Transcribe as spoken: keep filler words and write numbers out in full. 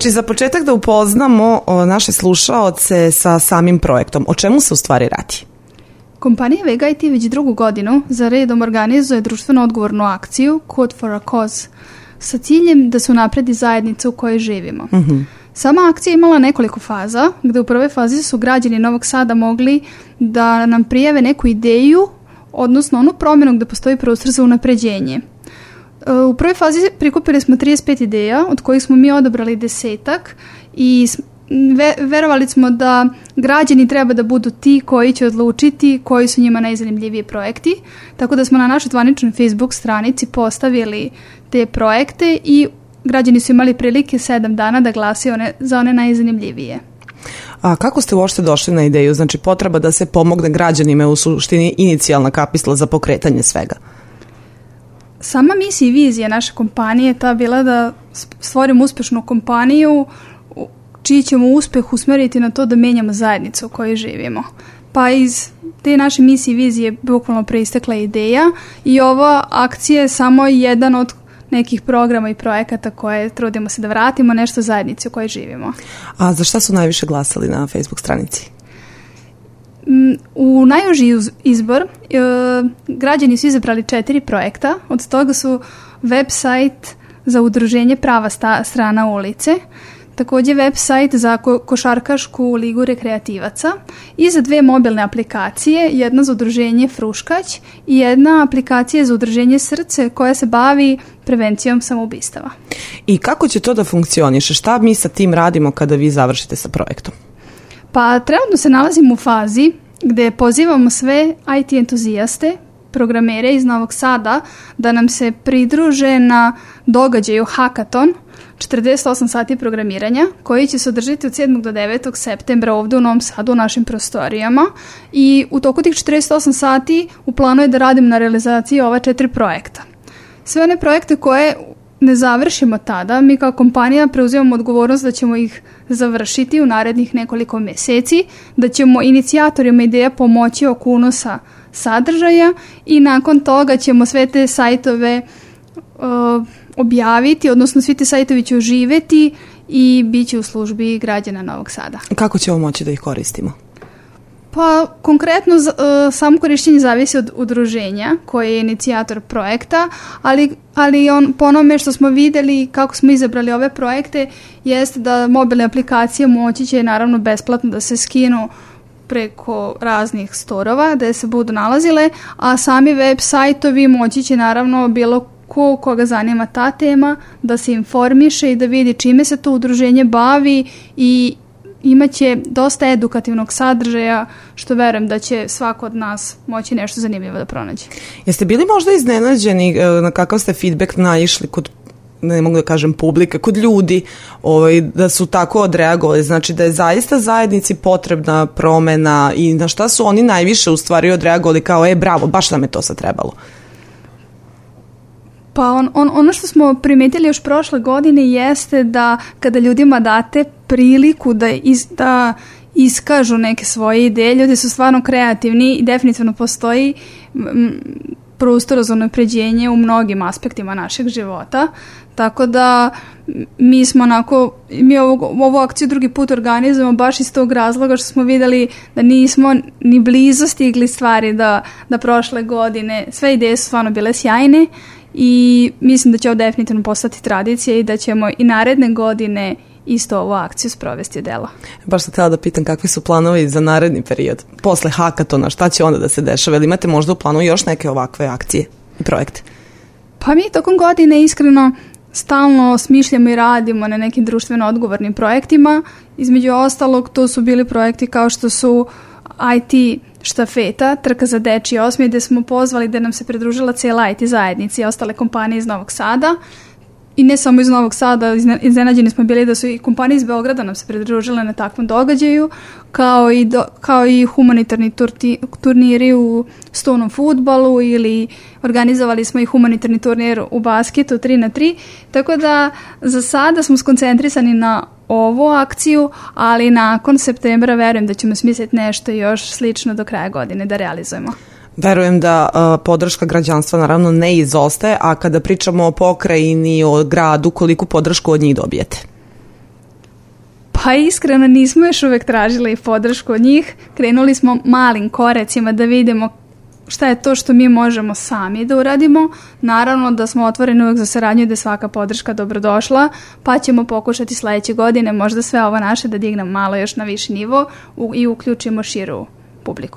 Znači, za početak da upoznamo naše slušaoce sa samim projektom. O čemu se u stvari radi? Kompanija Vega I T već drugu godinu za redom organizuje društveno odgovornu akciju Code for a Cause sa ciljem da se unapredi zajednica u kojoj živimo. Mm-hmm. Sama akcija imala nekoliko faza, gde u prvoj fazi su građani Novog Sada mogli da nam prijave neku ideju, odnosno onu promjenu gde postoji prostor za unapređenje. U prvoj fazi prikupili smo trideset pet ideja, od kojih smo mi odabrali desetak i ve- verovali smo da građani treba da budu ti koji će odlučiti koji su njima najzanimljiviji projekti, tako da smo na našoj zvaničnoj Facebook stranici postavili te projekte i građani su imali prilike sedam dana da glasaju one, za one najzanimljivije. A kako ste uopšte došli na ideju? Znači, potreba da se pomogne građanima je u suštini inicijalna kapisla za pokretanje svega. Sama misija i vizija naše kompanije je ta bila da stvorimo uspešnu kompaniju čiji ćemo uspeh usmeriti na to da menjamo zajednicu u kojoj živimo. Pa iz te naše misije i vizije bukvalno preistekla ideja i ova akcija je samo jedan od nekih programa i projekata koje trudimo se da vratimo nešto zajednici u kojoj živimo. A za šta su najviše glasali na Facebook stranici? U najuži izbor e, građani su izabrali četiri projekta, od toga su website za udruženje Prava sta, strana ulice, također website za ko, košarkašku ligu rekreativaca i za dve mobilne aplikacije, jedna za udruženje Fruškać i jedna aplikacija za udruženje Srce koja se bavi prevencijom samoubistava. I kako će to da funkcioniše? Šta mi sa tim radimo kada vi završite sa projektom? Pa trenutno se nalazimo u fazi gde pozivamo sve I T entuzijaste, programere iz Novog Sada da nam se pridruže na događaju Hackathon, četrdeset osam sati programiranja, koji će se održati od sedmog do devetog septembra ovdje u Novom Sadu u našim prostorijama i u toku tih četrdeset osam sati u planu je da radim na realizaciji ova četiri projekta. Sve one projekte koje ne završimo tada, mi kao kompanija preuzimamo odgovornost da ćemo ih završiti u narednih nekoliko mjeseci, da ćemo inicijatorima ideja pomoći oko unosa sadržaja i nakon toga ćemo sve te sajtove uh, objaviti, odnosno svi te sajtovi će oživjeti i bit će u službi građana Novog Sada. Kako ćemo moći da ih koristimo? Pa konkretno uh, samo korištenje zavisi od udruženja koje je inicijator projekta, ali, ali on, po onome što smo vidjeli kako smo izabrali ove projekte jeste da mobilne aplikacije moći će naravno besplatno da se skinu preko raznih storova gde se budu nalazile, a sami web sajtovi moći će naravno bilo ko koga zanima ta tema da se informiše i da vidi čime se to udruženje bavi i imaće dosta edukativnog sadržaja, što verujem da će svako od nas moći nešto zanimljivo da pronađe. Jeste bili možda iznenađeni na kakav ste feedback naišli kod, ne mogu da kažem publike, kod ljudi, ovaj, da su tako odreagovali? Znači da je zaista zajednici potrebna promena i na šta su oni najviše u stvari odreagovali kao, e bravo, baš nam je to sad trebalo? Pa on, on, ono što smo primetili još prošle godine jeste da kada ljudima date priliku da, iz, da iskažu neke svoje ideje, ljudi su stvarno kreativni i definitivno postoji m, prostor za unapređenje u mnogim aspektima našeg života. Tako da mi smo onako, mi ovu, ovu akciju drugi put organizujemo baš iz tog razloga što smo vidjeli da nismo ni blizu stigli stvari da, da prošle godine. Sve ideje su stvarno bile sjajne i mislim da će ovo definitivno postati tradicija i da ćemo i naredne godine isto ovu akciju sprovesti u delo. Baš sam htjela da pitam kakvi su planovi za naredni period. Posle Hackathona, šta će onda da se dešava? Ili imate možda u planu još neke ovakve akcije i projekte? Pa mi tokom godine iskreno stalno smišljamo i radimo na nekim društveno odgovornim projektima. Između ostalog, to su bili projekti kao što su I T štafeta, trka za dečji osmijeh, gde smo pozvali da nam se pridružila cijela I T zajednica i ostale kompanije iz Novog Sada. I ne samo iz Novog Sada, iznenađeni smo bili da su i kompanije iz Beograda nam se pridružile na takvom događaju, kao i, do, kao i humanitarni turti, turniri u stonom fudbalu ili organizovali smo i humanitarni turnir u basketu tri na tri, tako da za sada smo skoncentrisani na ovu akciju, ali nakon septembra verujem da ćemo smisliti nešto još slično do kraja godine da realizujemo. Verujem da uh, podrška građanstva naravno ne izostaje, a kada pričamo o pokrajini, o gradu, koliku podršku od njih dobijete? Pa iskreno nismo još uvek tražili podršku od njih. Krenuli smo malim korecima da vidimo šta je to što mi možemo sami da uradimo. Naravno da smo otvoreni uvek za saradnju i da je svaka podrška dobrodošla, pa ćemo pokušati sledeće godine možda sve ovo naše da dignemo malo još na viši nivo i uključimo širu publiku.